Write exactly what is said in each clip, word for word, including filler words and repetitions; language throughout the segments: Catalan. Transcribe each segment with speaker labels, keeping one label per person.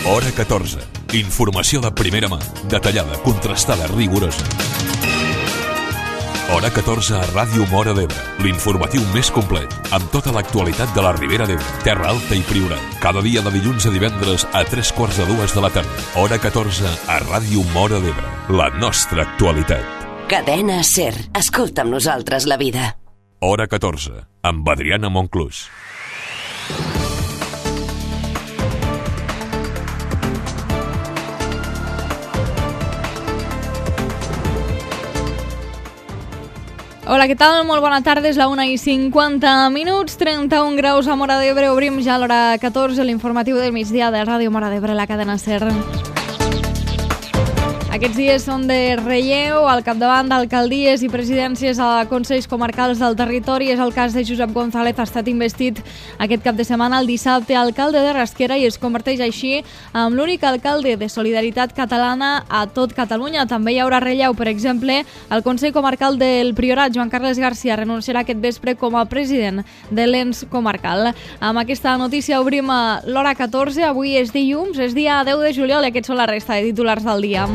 Speaker 1: Hora catorze. Informació de primera mà, detallada, contrastada, rigorosa. Hora catorze a Ràdio Móra d'Ebre, l'informatiu més complet, amb tota l'actualitat de la Ribera d'Ebre, Terra Alta i Priorat. Cada dia de dilluns a divendres a tres quarts de dues de la tarda. Hora catorze a Ràdio Móra d'Ebre, la nostra actualitat.
Speaker 2: Cadena SER. Escolta amb nosaltres la vida.
Speaker 1: Hora catorze, amb Adriana Monclús.
Speaker 3: Hola, què tal? Molt bona tarda, és la una i cinquanta minuts, trenta-un graus a Móra d'Ebre. Obrim ja a l'hora catorze l'informatiu del migdia de Ràdio Móra d'Ebre, la cadena SER. Aquests dies són de relleu al capdavant d'alcaldies i presidències a Consells Comarcals del Territori. És el cas de Josep González, ha estat investit aquest cap de setmana, el dissabte, alcalde de Rasquera, i es converteix així en l'únic alcalde de Solidaritat Catalana a tot Catalunya. També hi haurà relleu, per exemple, al Consell Comarcal del Priorat. Joan Carles Garcia renunciarà aquest vespre com a president de l'ens comarcal. Amb aquesta notícia obrim l'hora catorze. Avui és dilluns, és dia deu de juliol, i aquests són la resta de titulars del dia.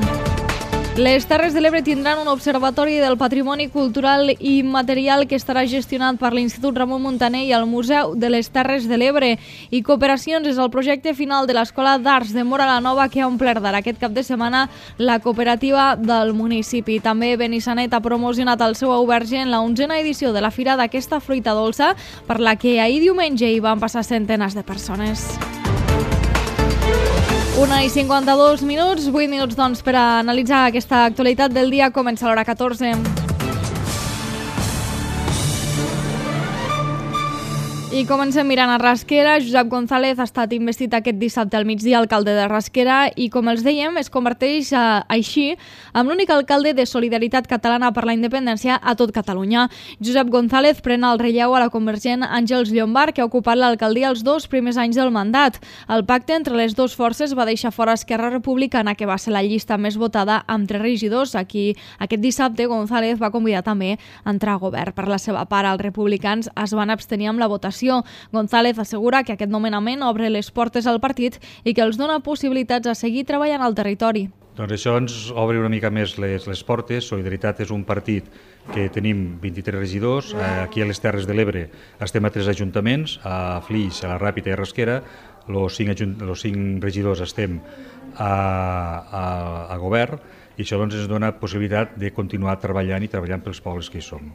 Speaker 3: Les Terres de l'Ebre tindran un observatori del patrimoni cultural i immaterial que estarà gestionat per l'Institut Ramon Muntaner i el Museu de les Terres de l'Ebre. I Cooperacions és el projecte final de l'Escola d'Arts de Móra la Nova, que ha omplert d'ara aquest cap de setmana la cooperativa del municipi. També Benissanet ha promocionat el seu auberge en la onzena edició de la Fira d'aquesta fruita dolça, per la que ahir diumenge hi van passar centenars de persones. Una i cinquanta-dos minuts, vuit minuts doncs per a analitzar aquesta actualitat del dia. Comença l'hora catorze. I comencem mirant a Rasquera. Josep González ha estat investit aquest dissabte al migdia alcalde de Rasquera i, com els dèiem, es converteix a, així en l'únic alcalde de Solidaritat Catalana per la Independència a tot Catalunya. Josep González pren el relleu a la convergent Àngels Llombart, que ha ocupat l'alcaldia els dos primers anys del mandat. El pacte entre les dues forces va deixar fora Esquerra Republicana, que va ser la llista més votada amb tres regidors. Aquí, aquest dissabte, González va convidar també a entrar a govern. Per la seva part, els republicans es van abstenir amb la votació. González assegura que aquest nomenament obre les portes al partit i que els dona possibilitats a seguir treballant al territori.
Speaker 4: Doncs això ens obre una mica més les, les portes. Solidaritat és un partit que tenim vint-i-tres regidors. Aquí a les Terres de l'Ebre estem a tres ajuntaments, a Flix, a la Ràpita i a Rasquera. Els cinc, els cinc regidors estem a, a, a govern, i això doncs, ens dona possibilitat de continuar treballant i treballant pels pobles que hi som.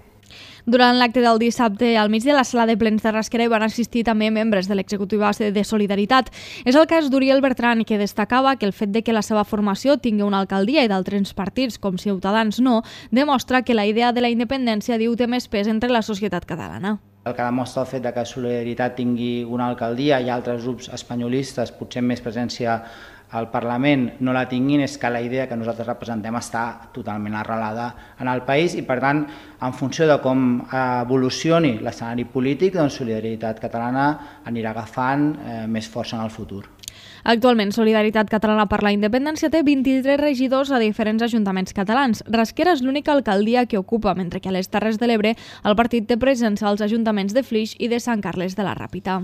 Speaker 3: Durant l'acte del dissabte al migdia a la sala de plens de Rasquera hi van assistir també membres de l'executiva de Solidaritat. És el cas d'Uriel Bertran, que destacava que el fet de que la seva formació tingui una alcaldia i d'altres partits com Ciutadans no, demostra que la idea de la independència, diu, té més pes entre la societat catalana.
Speaker 5: El que demostra el fet de que Solidaritat tingui una alcaldia i altres grups espanyolistes, potser amb més presència al Parlament, no la tinguin, és que la idea que nosaltres representem està totalment arrelada en el país i, per tant, en funció de com evolucioni l'escenari polític, doncs Solidaritat Catalana anirà agafant eh, més força en el futur.
Speaker 3: Actualment, Solidaritat Catalana per la Independència té vint-i-tres regidors a diferents ajuntaments catalans. Rasquera és l'única alcaldia que ocupa, mentre que a les Terres de l'Ebre el partit té presència als ajuntaments de Flix i de Sant Carles de la Ràpita.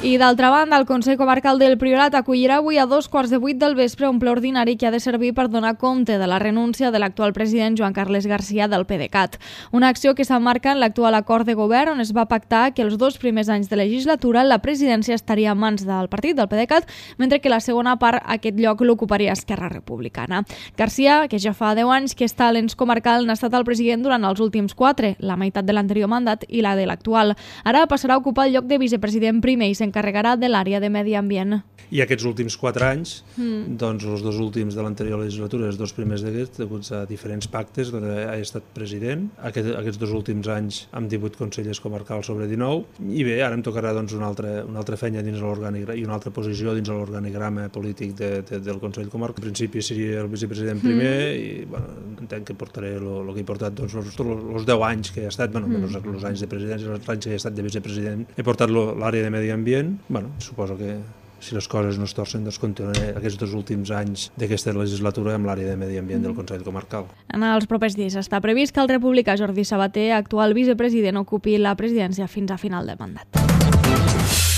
Speaker 3: I d'altra banda, el Consell Comarcal del Priorat acollirà avui a dos quarts de vuit del vespre un ple ordinari que ha de servir per donar compte de la renúncia de l'actual president Joan Carles Garcia del PDeCAT. Una acció que s'emmarca en l'actual acord de govern on es va pactar que els dos primers anys de legislatura la presidència estaria en mans del partit del PDeCAT, mentre que la segona part aquest lloc l'ocuparia Esquerra Republicana. Garcia, que ja fa deu anys que està a l'ens comarcal, n'ha estat el president durant els últims quatre, la meitat de l'anterior mandat i la de l'actual. Ara passarà a ocupar el lloc de vicepresident primer i s'encarregarà de l'àrea de medi ambient.
Speaker 6: I aquests últims quatre anys, mm. doncs els dos últims de l'anterior legislatura, els dos primers d'aquests, deguts a diferents pactes, doncs he estat president. Aquest, aquests dos últims anys amb divuit consellers comarcals sobre dinou. I bé, ara em tocarà doncs, una, altra, una altra feina dins l'organigrama i una altra posició dins l'organigrama polític de, de, del Consell Comarcal. En principi seria el vicepresident primer mm. i bueno, entenc que portaré el que he portat doncs, els deu anys que he estat, bueno, menys mm. els anys de presidència, els anys que he estat de vicepresident, he portat l'àrea de medi ambient. Bueno, suposo que si les coses no es torcen, doncs continuaré aquests dos últims anys d'aquesta legislatura amb l'àrea de medi ambient del Consell Comarcal.
Speaker 3: En els propers dies està previst que el republicà Jordi Sabater, actual vicepresident, ocupi la presidència fins a final de mandat.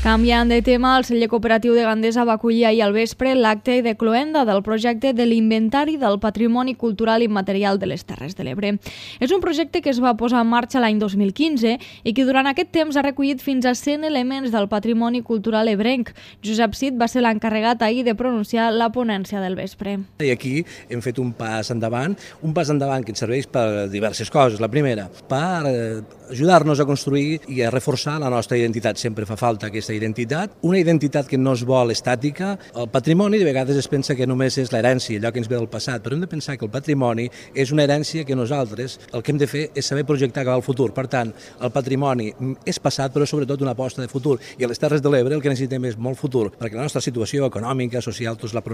Speaker 3: Canviant de tema, el celler cooperatiu de Gandesa va acollir ahir al vespre l'acte de cloenda del projecte de l'Inventari del Patrimoni Cultural Immaterial de les Terres de l'Ebre. És un projecte que es va posar en marxa l'any dos mil quinze i que durant aquest temps ha recollit fins a cent elements del patrimoni cultural ebrenc. Josep Cid va ser l'encarregat ahir de pronunciar la ponència del vespre.
Speaker 7: I aquí hem fet un pas endavant, un pas endavant que ens serveix per diverses coses. La primera, per ajudar-nos a construir i a reforçar la nostra identitat. Sempre fa falta aquesta identitat, una identitat que no es vol estàtica. El patrimoni de vegades es pensa que només és l'herència, allò que ens ve del passat, però hem de pensar que el patrimoni és una herència que nosaltres el que hem de fer és saber projectar cap al futur. Per tant, el patrimoni és passat, però sobretot una aposta de futur. I a les Terres de l'Ebre el que necessitem és molt futur, perquè la nostra situació econòmica, social, tots la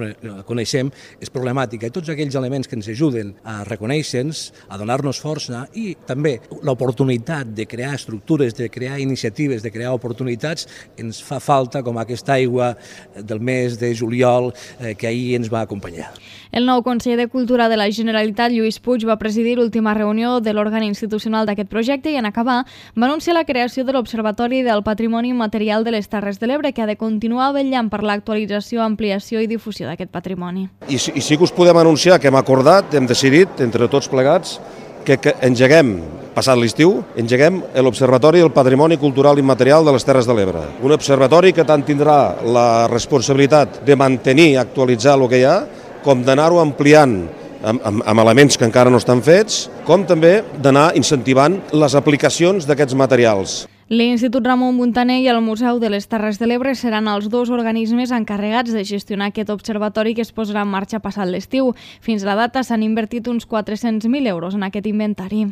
Speaker 7: coneixem, és problemàtica. I tots aquells elements que ens ajuden a reconèixer-nos, a donar-nos força i també l'oportunitat de crear estructures, de crear iniciatives, de crear oportunitats, ens fa falta com aquesta aigua del mes de juliol eh, que ahir ens va acompanyar.
Speaker 3: El nou conseller de Cultura de la Generalitat, Lluís Puig, va presidir l'última reunió de l'òrgan institucional d'aquest projecte i en acabar va anunciar la creació de l'Observatori del Patrimoni Immaterial de les Terres de l'Ebre, que ha de continuar vetllant per l'actualització, ampliació i difusió d'aquest patrimoni.
Speaker 8: I, I sí que us podem anunciar que hem acordat, hem decidit, entre tots plegats, que, que engeguem, passat l'estiu, engeguem l'Observatori del Patrimoni Cultural Immaterial de les Terres de l'Ebre. Un observatori que tant tindrà la responsabilitat de mantenir i actualitzar el que hi ha, com d'anar-ho ampliant amb, amb, amb elements que encara no estan fets, com també d'anar incentivant les aplicacions d'aquests materials.
Speaker 3: L'Institut Ramon Muntaner i el Museu de les Terres de l'Ebre seran els dos organismes encarregats de gestionar aquest observatori que es posarà en marxa passat l'estiu. Fins a la data s'han invertit uns quatre-cents mil euros en aquest inventari.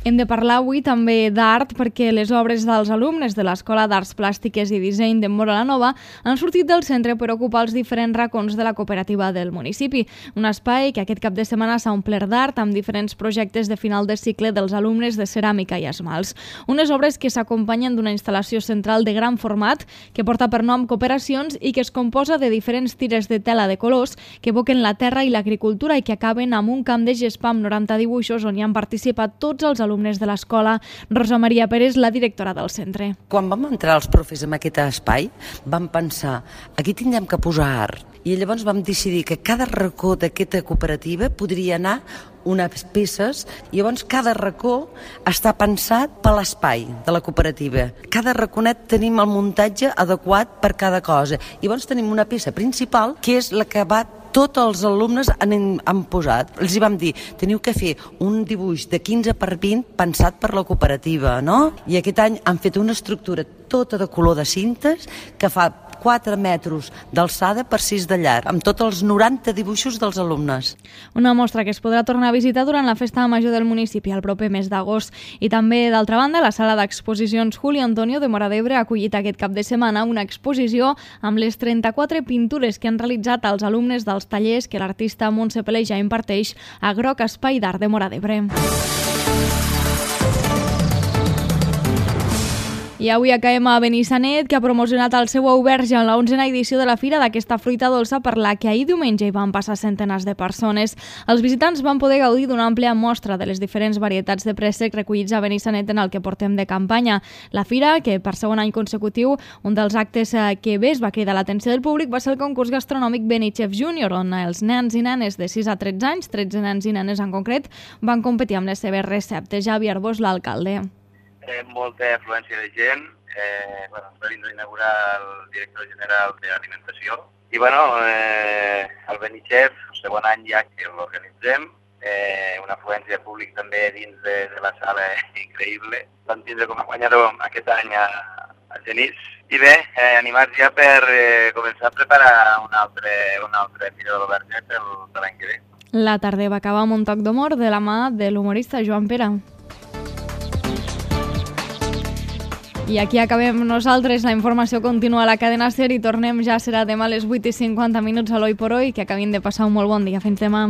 Speaker 3: Hem de parlar avui també d'art perquè les obres dels alumnes de l'Escola d'Arts Plàstiques i Disseny de Móra la Nova han sortit del centre per ocupar els diferents racons de la cooperativa del municipi. Un espai que aquest cap de setmana s'ha omplert d'art amb diferents projectes de final de cicle dels alumnes de ceràmica i esmalts. Unes obres que s'acompanyen d'una instal·lació central de gran format que porta per nom Cooperacions i que es composa de diferents tires de tela de colors que evoquen la terra i l'agricultura i que acaben amb un camp de gespa amb noranta dibuixos on hi han participat tots els alumnes de l'escola. Rosa Maria Pérez, la directora del centre.
Speaker 9: Quan vam entrar els profes en aquest espai, vam pensar, aquí tindrem que posar art. I llavors vam decidir que cada racó d'aquesta cooperativa podria anar unes peces, i llavors cada racó està pensat per l'espai de la cooperativa. Cada raconet tenim el muntatge adequat per cada cosa. I llavors tenim una peça principal, que és la que va tots els alumnes han, han posat. Els hi vam dir, teniu que fer un dibuix de quinze per vint pensat per la cooperativa, no? I aquest any han fet una estructura tota de color de cintes que fa quatre metres d'alçada per sis de llarg, amb tots els noranta dibuixos dels alumnes.
Speaker 3: Una mostra que es podrà tornar a visitar durant la Festa Major del municipi el proper mes d'agost. I també, d'altra banda, la sala d'exposicions Julio Antonio de Móra d'Ebre ha acollit aquest cap de setmana una exposició amb les trenta-quatre pintures que han realitzat els alumnes dels tallers que l'artista Montse Pelé ja imparteix a Groc Espai d'Art de Móra d'Ebre. I avui acabem a Benissanet, que ha promocionat el seu auberge en la onzena edició de la Fira d'aquesta fruita dolça per la que ahir diumenge hi van passar centenars de persones. Els visitants van poder gaudir d'una àmplia mostra de les diferents varietats de préssec recollits a Benissanet en el que portem de campanya. La Fira, que per segon any consecutiu, un dels actes que bé es va cridar l'atenció del públic va ser el concurs gastronòmic Benichef Júnior, on els nens i nenes de sis a tretze anys, tretze nens i nenes en concret, van competir amb les seves receptes. Javi Arbós, l'alcalde.
Speaker 10: Eh, molta afluència de gent, eh, bueno, va vindre a inaugurar el director general d'Alimentació i bueno, eh, el Benichef, el segon any ja que l'organitzem, eh, una afluència de públic també dins de, de la sala increïble. Vam tindre com a guanyador aquest any a, a Genís. I bé, eh, animats ja per eh, començar a preparar un altre, un altre Fira de l'Auberge per l'any que ve.
Speaker 3: La tarda va acabar amb un toc d'humor de la mà de l'humorista Joan Pere. I aquí acabem nosaltres. La informació continua a la cadena SER i tornem ja, serà demà a les vuit i cinquanta minuts a l'Oi por Hoy. Que acabin de passar un molt bon dia. Fins demà.